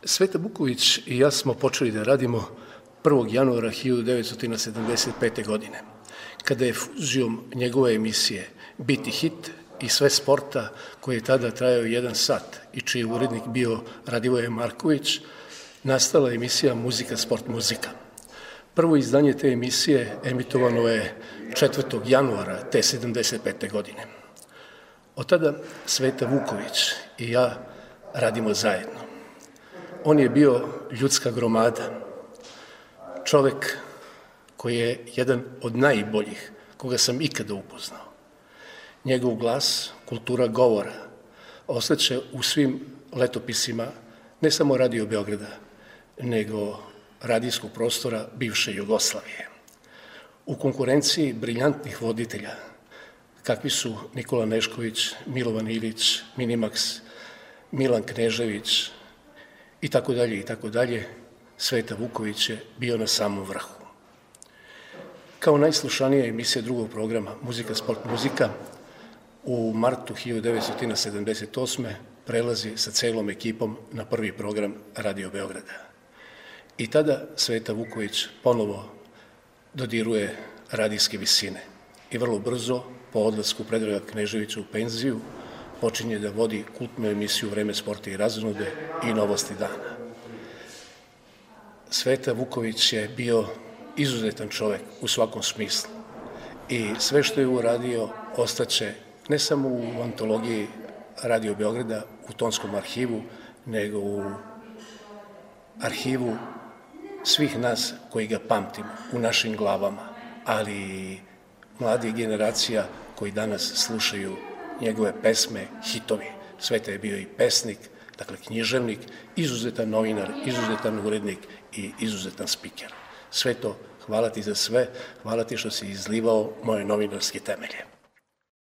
Sveta Vuković i ja smo počeli da radimo 1. januara 1975. godine, kada je fuzijom njegove emisije Biti hit i sve sporta, koji je tada trajao 1 sat i čiji je urednik bio Radivoje Marković, nastala emisija Muzika, sport, muzika. Prvo izdanje te emisije emitovano je 4. januara te 75. godine. Od tada Sveta Vuković i ja radimo zajedno. On je bio ljudska gromada, čovek koji je jedan od najboljih koga sam ikada upoznao. Njegov glas, kultura govora, ostaće u svim letopisima ne samo Radio Beograda, nego radijskog prostora bivše Jugoslavije. U konkurenciji briljantnih voditelja, kakvi su Nikola Nešković, Milovan Ilić, Minimax, Milan Knežević i tako dalje, Sveta Vuković je bio na samom vrhu. Kao najslušanija emisija drugog programa Muzika, sport, muzika u martu 1978. prelazi sa celom ekipom na prvi program Radio Beograda. I tada Sveta Vuković ponovo dodiruje radijske visine i vrlo brzo, po odlasku Predraga Kneževića u penziju, počinje da vodi kultnu emisiju Vreme sporta i razonode i Novosti dana. Sveta Vuković je bio izuzetan čovek u svakom smislu i sve što je uradio ostaće ne samo u antologiji Radio Beograda, u tonskom arhivu, nego u arhivu svih nas koji ga pamtimo u našim glavama, ali i mladih generacija koji danas slušaju njegove pesme, hitovi. Sveta je bio i pesnik, dakle književnik, izuzetan novinar, izuzetan urednik i izuzetan spiker. Sveto, hvala ti za sve, hvala ti što si izlivao moje novinarske temelje.